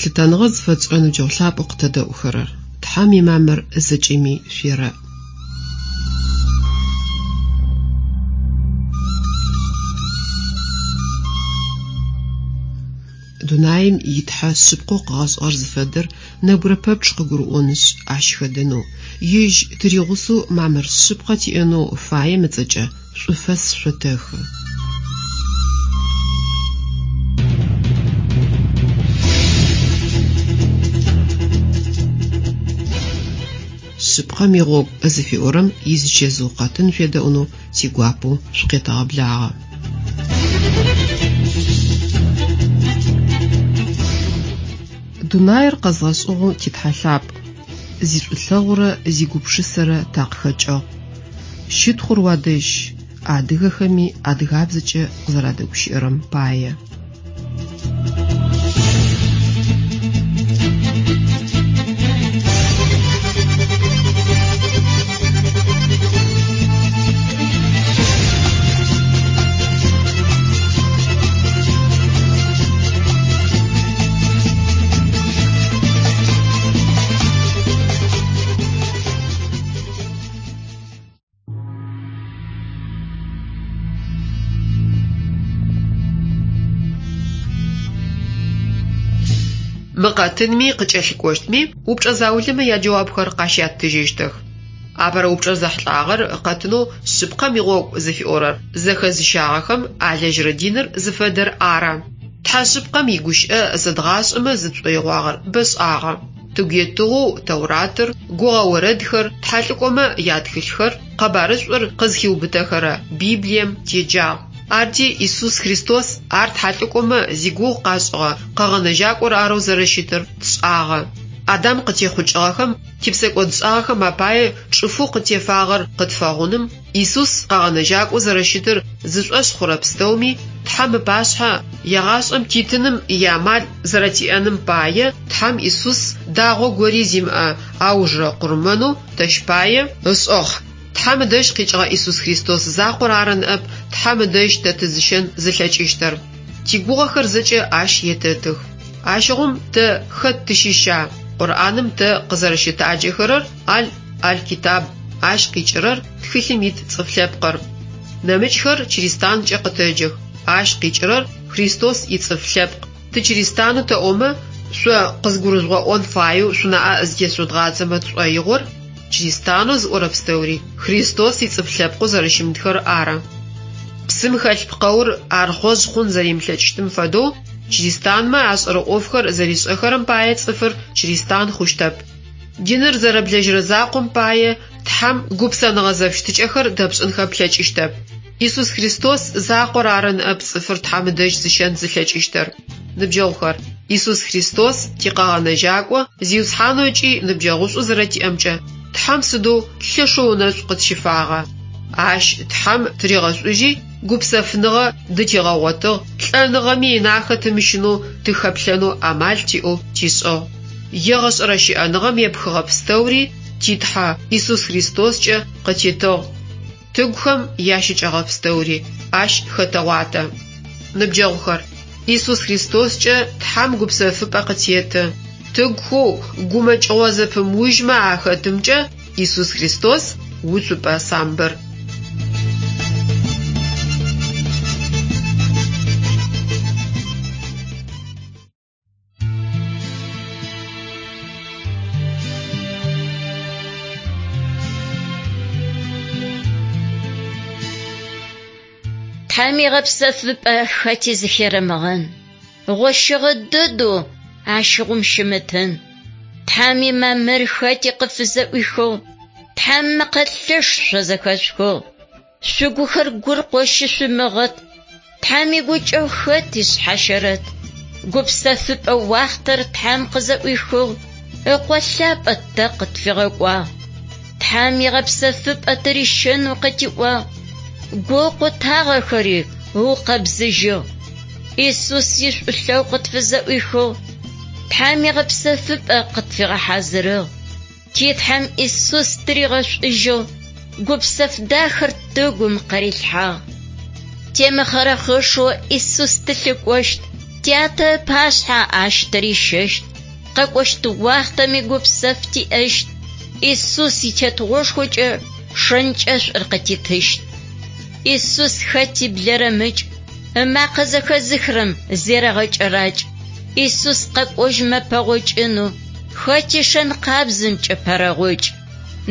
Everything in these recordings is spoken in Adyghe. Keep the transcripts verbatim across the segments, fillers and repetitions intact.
Лъытэныгъэ зыфэтшӏырэ ныбджэгъу лъапӏэу къытэдэӏухэрэр, Тхьэм имамыр зэкӏэми шъуерэӏ. Дунаим итхьэ шъыпкъэу къыгъэшӏыгъэр зыфэдэр нэбгырэ пэпчъ къыгурыӏонышъ, ащ хэдэнэу, ежь тыригъусэу мамыр шъыпкъэ тиӏэнэу фаем ыцӏэкӏэ шӏуфэс шъотэхы. Шъыпкъэм игъогу зыфиӏорэм изычэзыу къэтын шъуедэӏунэу тигуапэу шъукъетэгъэблагъэ. Дунаир къэзгъэшӏыгъэу титхьэ лъапӏ, зишӏулъэгъурэ зигупшысэрэ такъыхэкӏыгъ. Щытхъур уадэжь, адыгэхэми адыгабзэкӏэ къызэрадэгущыӏэрэм пае. Мы къэтынми къыкӏэлъыкӏощтми упчӏэ заулэмэ яджэуапхэр къащяттыжьыщтых. Апэрэ упчӏэр зэхьылӏагъэр къэтынэу «Шъыпкъэм игъогу» зыфиӏорэр зэхэзыщагъэхэм алэжьырэ диныр зыфэдэр ары. Тхьэ шъыпкъэм игущыӏэ зэдгъашӏэмэ зытшӏоигъуагъэр бэшӏагъэ. Тыгу етыгъэу Тэуратыр, гугъэ орэдхэр, тхьэлӏыкӏомэ ятхылъхэр, къэбарышӏур къызхиубытэхэрэ Библием теджагъ. Арти Исус Христос ар тхьэлӏыкӏомэ зигугъу къашӏыгъэ къэгъэнэжьакӏор арэу зэрэщытыр тшӏагъэ. Адам къытехъукӏыгъэхэм типсэкӏодшӏагъэхэм апае чӏыфэу къытефагъэр къытфэгъуным, Исус къэгъэнэжьакӏоу зэрэщытыр зышӏошъ хъурэ пстэуми Тхьэм ыпашъхьэ егъашӏэм титыным иамал зэрэтиӏэным пае Тхьэм Исус дагъо гори зимыӏэ аужырэ къурмэнэу тэщ пае ышӏыгъ. Тхьэм ыдэжь къикӏыгъэ Исус Христос закъор ары ныӏэп Тхьэм ыдэжь тэ тызыщэн зылъэкӏыщтыр. Тигугъэхэр зэкӏэ ащ етэтых. Ащыгъум тэ хэт тыщыща? Къурӏаным тэ къызэрэщытаджэхэрэр Аль Аль-Китаб, ащ къикӏырэр тхылъым ит цӏыф лъэпкъыр. Нэмыкӏхэр чыристанкӏэ къытэджэх, ащ къикӏырэр Христос ицӏыф лъэпкъ. Тычыристанэу тэӏомэ, шъо къызгурыжъугъэӏон фаеу шъунаӏэ зытешъудгъадзэмэ тшӏоигъор чыристанэу зыӏорэ пстэури Христос ицӏыф лъэпкъэу зэрэщымытхэр ары. Псым хэлъ пкъэур архъожъ хъун зэримылъэкӏыщтым фэдэу чыристанмэ ашӏэрэ ӏофхэр зэришӏэхэрэм пае цӏыфыр чыристан хъущтэп. Диныр зэрэблэжьырэ закъом пае Тхьэм гупсэныгъэ зэфыщытыкӏэхэр дэпшӏынхэ плъэкӏыщтэп. Исус Христос закъор ары ныӏэп цӏыфыр Тхьэм ыдэжь зыщэн зылъэкӏыщтыр. Ныбджэгъухэр, Исус Христос тикъэгъэнэжьакӏо Зиусхьанэу ыкӏи ныбджэгъушӏу зэрэтиӏэмкӏэ Тхьэм сыдэу лъэшэу ынэшӏу къытщифагъа. Ащ Тхьэм тыригъэшӏужьи гупсэфыныгъэ дытигъэгъотыгъ, лӏэныгъэми инахэ тымыщынэу тыхэплъэнэу амал тиӏэу тишӏыгъ. Егъэшӏэрэ щыӏэныгъэм епхыгъэ пстэури титхьэ Исус Христоскӏэ къытитыгъ. Тыгухэм ящыкӏэгъэ пстэури ащ хэтэгъуатэ. Ныбджэгъухэр, Исус Христоскӏэ Тхьэм гупсэфыпӏэ къытеты. Тыгухэу гумэкӏыгъо зэпымыужьмэ ахэтымкӏэ Исус Христос уцупӏэ самбыр. Тхьэм игъэпсэфыпӏэ хэти зыхерэмыгъэн, гъощыгъэ дэдэу ащыгъум щымытын. Тхьэм имамыр хэти къыфызэӏуихыгъ, Тхьэм мэкъэ лъэш шъо зэхэшъухыгъ. Шъугухэр гуркъо щышъумыгъэт, Тхьэм игукӏэгъу хэти шъхьащэрэт. Гупсэфыпӏэ уахътэр Тхьэм къызэӏуихыгъ, ыкъо лъапӏэ тэ къытфигъэкӏуагъ. Тхьэм игъэпсэфыпӏэ тырищэнэу къытиӏуагъ, гу къутагъэхэри ыукъэбзыжьыгъ. Исус ишӏулъэгъу къытфызэӏуихыгъ, Тхьэм игъэпсэфыпӏэ къытфигъэхьазырыгъ. Титхьэм Исус тыригъэшӏужьыгъ, гупсэф дахэр тыгум къырилъхьагъ. Темыхъэрэхъышэу Исус тылъыкӏощт, тятэ ыпашъхьэ ащ тырищэщт. Къэкӏощт уахътэми гупсэф тиӏэщт. Исус итетыгъошхокӏэ шэнкӏэшӏур къытитыщт. Исус хэти блэрэмыкӏ, ымакъэ зэхэзыхырэм зерэгъэкӏэракӏ. Исус къэкӏожьмэ пэгъокӏынэу, хэти шэн къабзэмкӏэ пэрэгъокӏ.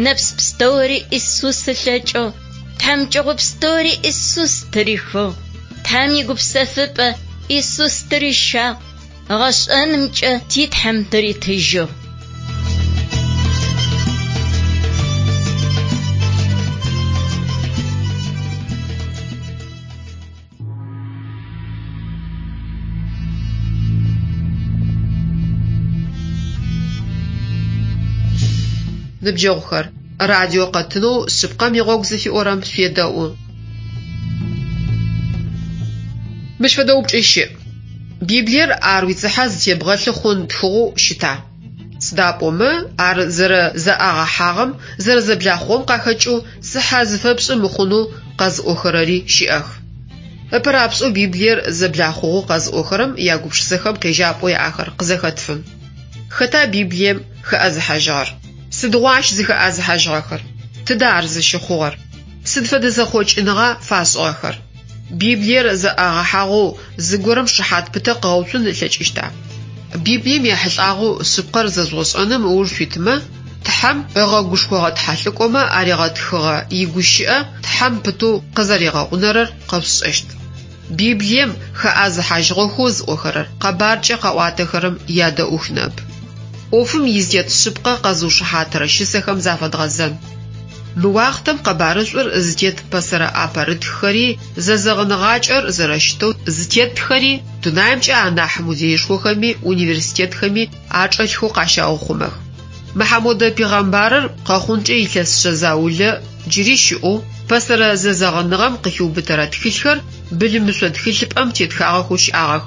Нэпс пстэури Исус ылъэкӏыгъ, тхьамыкӏэгъо пстэури Исус тырихыгъ. Тхьэм игупсэфыпӏэ Исус тырищагъ, гъэшӏэнымкӏэ ти Тхьэм тыритыжьыгъ. Ныбджэгъухэр, радио къэтынэу Шъыпкъэм игъогу зыфиӏорэм шъуедэӏу. Мыщ фэдэ упчӏэ щыӏ. Библиер ар уицыхьэ зытебгъэлъы хъун тхыгъэу щыта? Сыда пӏомэ ар зэрэзэӏагъэхьагъэм, зэрэзэблахъугъэм къахэкӏэу цыхьэ зыфэпшӏы мыхъунэу къэзыӏохэрэри щыӏэх. Ыпэрапшӏэу Библиер зэблахъугъэу къэзыӏохэрэм ягупшысэхэм къежьапӏэу яӏэхэр къызэхэтфын. Хэта Библием хэӏэзыхьажьыгъэр? Сыдигъуа ащ зыхэӏэзыхьажьыгъэхэр? Тыдэ ар зыщыхъугъэр? Сыд фэдэ зэхъокӏыныгъа фашӏыгъэхэр? Библиер зэӏагъэхьагъэу зыгорэм шыхьат пытэ къыгъэуцун ылъэкӏыщта? Библием ехьылӏагъэу шъыпкъэр зэжъугъэшӏэным ыуж шъуитымэ, Тхьэм ыгъэгушхогъэ тхьэлӏыкӏомэ аригъэтхыгъэ игущыӏэ Тхьэм пытэу къызэригъэгъунэрэр къэшъушӏэщт. Библием хэӏэзыхьажьыгъэхэу зыӏохэрэр къэбаркӏэ къаӏуатэхэрэм ядэӏух ныӏэп. ӏофым изытет шъыпкъэ къэзыушыхьатырэ щысэхэм зафэдгъэзэн. Мы уахътэм къэбарышӏур зытет пэсэрэ ӏэпэрытххэри, зэзэгъыныгъакӏэр зэрэщытэу зытетхэри дунаимкӏэ анахь музеишхохэми университетхэми ачӏэлъхэу къащаухъумэх. Мыхьамодэ пегъэмбарыр къэхъункӏэ илъэс шъэ заулэ джыри щыӏэу пэсэрэ зэзэгъыныгъэм къыхиубытэрэ тхылъхэр былымышъо тхылъыпӏэм тетхагъэхэу щыӏагъэх.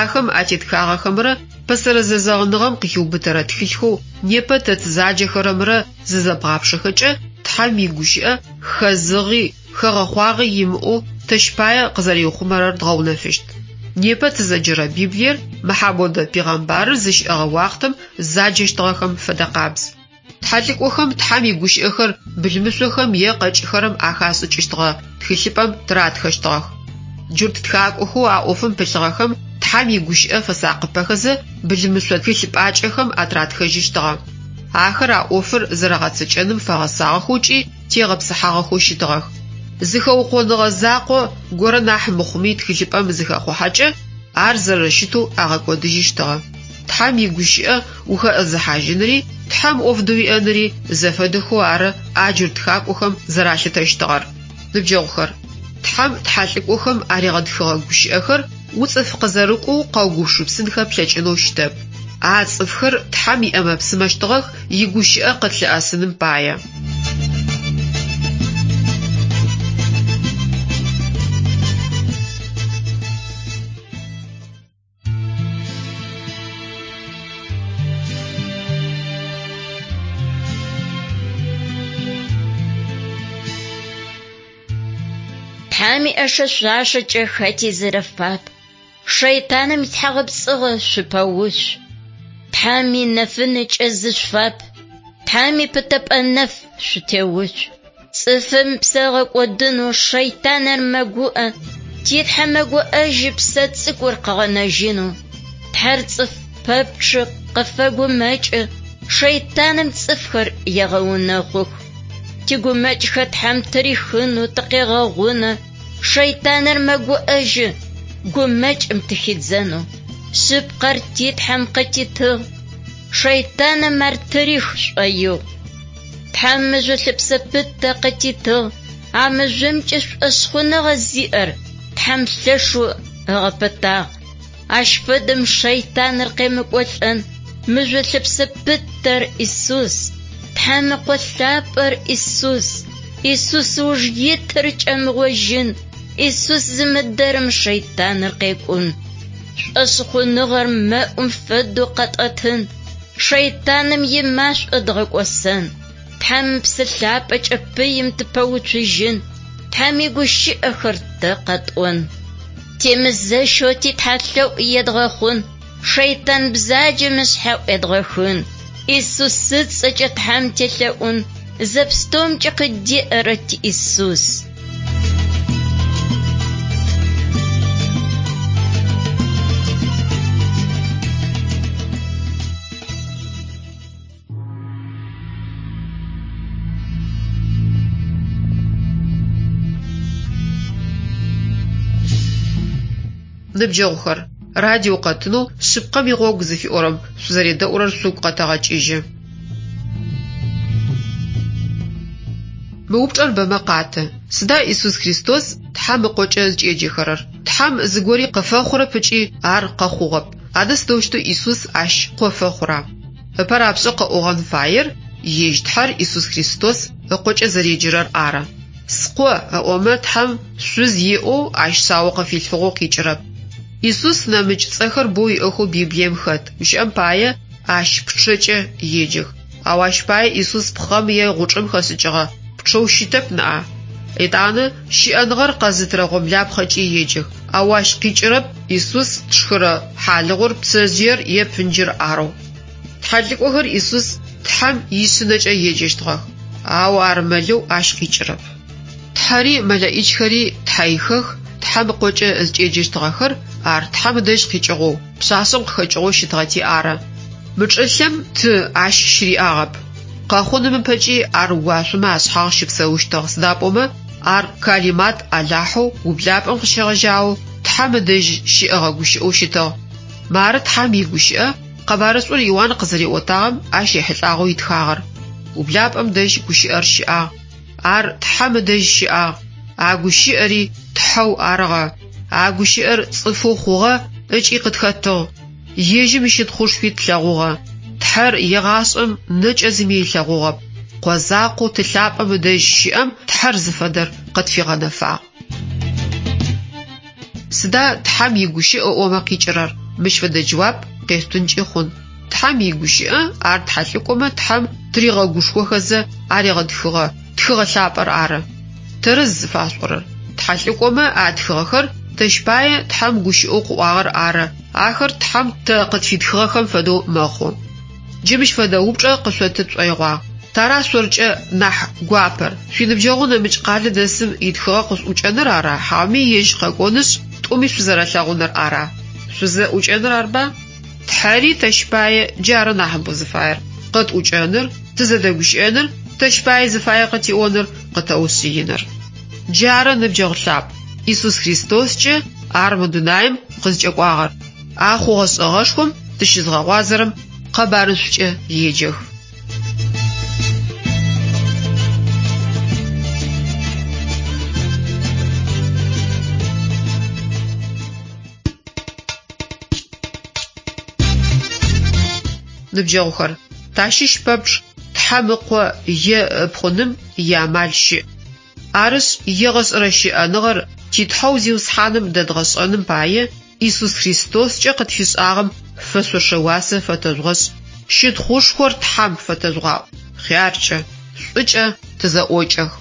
Ахэм атетхагъэхэмрэ пэсэрэ зэзэгъыныгъэм къыхиубытэрэ тхылъхэу непэ тэ тызаджэхэрэмрэ зызэбгъапшэхэкӏэ Тхьэм игущыӏэ хэзыгъи хэгъэхъуагъи имыӏэу тэщ пае къызэриухъумэрэр дгъэунэфыщт. Непэ тызэджэрэ Библиер Мыхьамодэ пегъэмбарыр зыщыӏэгъэ уахътэм заджэщтыгъэхэм фэдэ къабз. Тхьэлӏыкӏохэм Тхьэм игущыӏэхэр былымышъохэм е къэкӏыхэрэм ахашӏыкӏыщтыгъэ тхылъыпӏэм тыратхэщтыгъэх. Джурт тхакӏохэу а ӏофым пылъыгъэхэм Тхьэм игущыӏэ фэсакъыпэхэзэ былымышъо тхылъыпӏакӏэхэм атыратхэжьыщтыгъэ. Ахэр а ӏофыр зэрагъэцэкӏэным фэгъэсагъэхэу ыкӏи тегъэпсыхьагъэхэу щытыгъэх. Зыхэукъоныгъэ закъо горэ нахь мыхъуми тхылъыпӏэм зыхэхъухьэкӏэ ар зэрэщытэу агъэкӏодыжьыщтыгъэ. Тхьэм игущыӏэ ухэӏэзыхьажьынри, Тхьэм ӏоф дыуиӏэнри зэфэдэхэу ары а джурт тхакӏохэм зэралъытэщтыгъэр. Ныбджэгъухэр, Тхьэм тхьэлӏыкӏохэм аригъэтхыгъэ гущыӏэхэр уцӏыф къызэрыкӏоу къэугупшысынхэ плъэкӏынэу щытэп. А цӏыфхэр Тхьэм иӏэмэ-псымэщтыгъэх игущыӏэ къытлъыӏэсыным пае. Тхьэм иӏэшэ шъуашэкӏэ хэти зэрэфап. Шэйтаным итхьагъэпцӏыгъэ шъупэуцу. Тхьэм инэфынэкӏэ зышъуфап. Тхьэм ипытэпӏэ нэф шъутеуцу. Цӏыфым псэ ыгъэкӏодынэу шэйтаныр мэгуӏэ. Ти Тхьэ мэгуӏэжьы псэ цӏыкӏур къыгъэнэжьынэу. Тхьэр цӏыф пэпчъы къыфэгумэкӏы, шэйтаным цӏыфхэр егъэунэхъух. Тигумэкӏхэр Тхьэм тырихынэу тыкъегъэгъунэ. Шэйтаныр мэгуӏэжьы, гумэкӏым тыхидзэнэу. Шъыпкъэр ти Тхьэм къытитыгъ. Шэйтаным ар тырих шӏоигъу. Тхьэм мыжъо лъэпсэ пытэ къытитыгъ. А мыжъомкӏэ шӏошъхъуныгъэ зиӏэр Тхьэм лъэшэу ыгъэпытагъ. Ащ фэдэм шэйтаныр къемыкӏолӏэн. Мыжъо лъэпсэ пытэр Исус. Тхьэм ыкъо лъапӏэр Исус. Исус ыуж итыр кӏэмыгъожьын. Исус зымыдэрэм шэйтаныр къекӏун. Шӏошъхъуныгъэр мэӏум фэдэу къэтӏэтын. Шэйтаным имашӏо дгъэкӏосэн. Тхьэм псы лъапӏэкӏэ пыим тыпэуцужьын. Тхьэм игущыӏэхэр тэ къэтӏон. Темызэщэу ти Тхьэ лъэӏу едгъэхъун. Шэйтан бзаджэм ышъхьэ ӏуедгъэхын, Исус ыцӏэкӏэ Тхьэм телъэӏун, зэпстэумкӏэ къыддеӏэрэ ти Исус. Ныбджэгъухэр, радио къэтынэу «Шъыпкъэм игъогу» зыфиӏорэм шъузэредэӏурэр шъугу къэтэгъэкӏыжьы. Мы упчӏэр бэмэ къаты: сыда Исус Христос Тхьэм ыкъокӏэ зыкӏеджэхэрэр? Тхьэм зыгори къыфэхъурэп ыкӏи ар къэхъугъэп. Адэ сыдэущтэу Исус ащ къо фэхъура? Ыпэ рапшӏэу къэӏогъэн фаер ежь Тхьэр Исус Христос ыкъокӏэ зэреджэрэр ары. Скъо ыӏомэ Тхьэм шъуз иӏэу ащ шъао къыфилъфыгъэу къикӏырэп. Исус нэмыкӏ цӏэхэр боу иӏэхэу Библием хэт. Гущыӏэм пае ащ пчъэкӏэ еджэх. Ау ащ пае Исус пхъэм е гъучӏым хэшӏыкӏыгъэ пчъэу щытэп ныӏа. Етӏанэ щыӏэныгъэр къэзытырэ гъомлапхъэкӏи еджэх. Ау ащ къикӏырэп Исус тшхырэ хьалыгъур, пцэжъыер е пынджыр арэу. Тхьэлӏыкӏохэр Исус Тхьэм ишъынэкӏэ еджэщтыгъэх, ау ар мэлэу ащ къикӏырэп. Тхьэри мэлэӏичхэри тхьэихэх, Тхьэм ыкъокӏэ зыкӏеджэщтыгъэхэр ар Тхьэм ыдэжь къикӏыгъэу, пшъашъэм къыхэкӏыгъэу щытыгъэти ары. Мы чӏылъэм ты ащ щыриӏагъэп. Къэхъуным ыпэкӏи ар уашъомэ ашъхьагъ щыпсэущтыгъ, сыда пӏомэ ар калимат Алахьэу ублапӏэм къыщегъэжьагъэу Тхьэм ыдэжь щыӏэгъэ гущыӏэу щытыгъ. Мары Тхьэм игущыӏэ къэбарышӏур Иуан къызэриӏотагъэм ащ ехьылӏагъэу итхагъэр. Ублапӏэм дэжь гущыӏэр щыӏагъ. Ар Тхьэм ыдэжь щыӏагъ. А гущыӏэри Тхьэу арыгъэ. А гущыӏэр цӏыфэу хъугъэ ыкӏи къытхэтыгъ. Ежьым ищытхъушхуи тлъэгъугъэ. Тхьэр егъашӏэм нэкӏэ зыми ылъэгъугъэп. Къо закъоу ты лъапӏэм ыдэжь щыӏэм Тхьэр зыфэдэр къытфигъэнэфагъ. Сыда Тхьэм игущыӏэ ыӏомэ къикӏырэр? Мыщ фэдэ джэуап къешъутынкӏи хъун. Тхьэм игущыӏэ ар тхьэлӏыкӏомэ Тхьэм тыригъэгушхохэзэ аригъэтхыгъэ тхыгъэ лъапӏэр ары. Тэрэз зыфашӏорэр. Тхьэлӏыкӏомэ а тхыгъэхэр тэщ пае Тхьэм гущыӏэу къыӏуагъэр ары. Ахэр Тхьэм тэ къытфитхыгъэхэм фэдэу мэхъу. Джы мыщ фэдэ упчӏэ къышъоты тшӏоигъуагъ. Тара шъоркӏэ нахь гуапэр? Шъуиныбджэгъу нэмыкӏ къалэ дэсым итхыгъэ къышъуӏукӏэныр ара? Хьауми ежь къэкӏонышъ, тӏуми шъузэрэлъэгъуныр ара? Шъузэӏукӏэныр арба? Тхьэри тэщ пае джары нахьыбэу зыфаер. Къытӏукӏэныр, тызэдэгущыӏэныр, тэщ пае зыфае къытиӏоныр, къытэушъыиныр. Джары ныбджэгъу лъапӏ. Исус Христоскӏэ ар мы дунаим къызкӏэкӏуагъэр. А хъугъэ-шӏэгъэшхом тыщызгъэгъуазэрэм къэбарышӏукӏэ еджэх. Ныбджэгъухэр, тащыщ пэпчъ Тхьэм ыкъо е ыпхъуным иамал щыӏ. Арышъ, егъэшӏэрэ щыӏэныгъэр ти Тхьэу Зиусхьаным дэдгъэшӏэным пае Исус Христоскӏэ къытфишӏагъэм фэшъошэ уасэ фэтэжъугъэшӏ. Щытхъушхор Тхьэм фэтэжъугъаӏу. Хъяркӏэ, шӏукӏэ тызэӏокӏэх.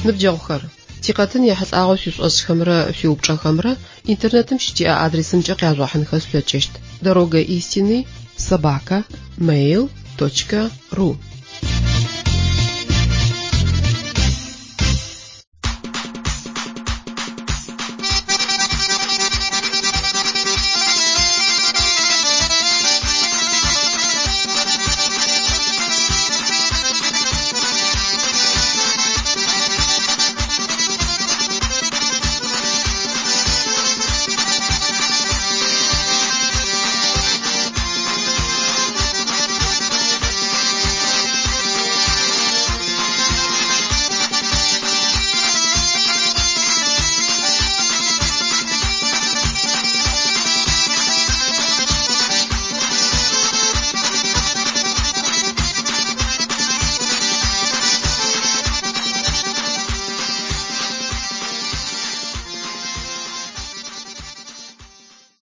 Ныбджэгъухэр, тикъэтын ехьылӏагъэу шъуишӏошӏхэмрэ шъуиупчӏэхэмрэ интернетым щытиӏэ адресымкӏэ къяжъугъэхьынхэ шъулъэкӏыщт: дорога истины собака mail точка ру.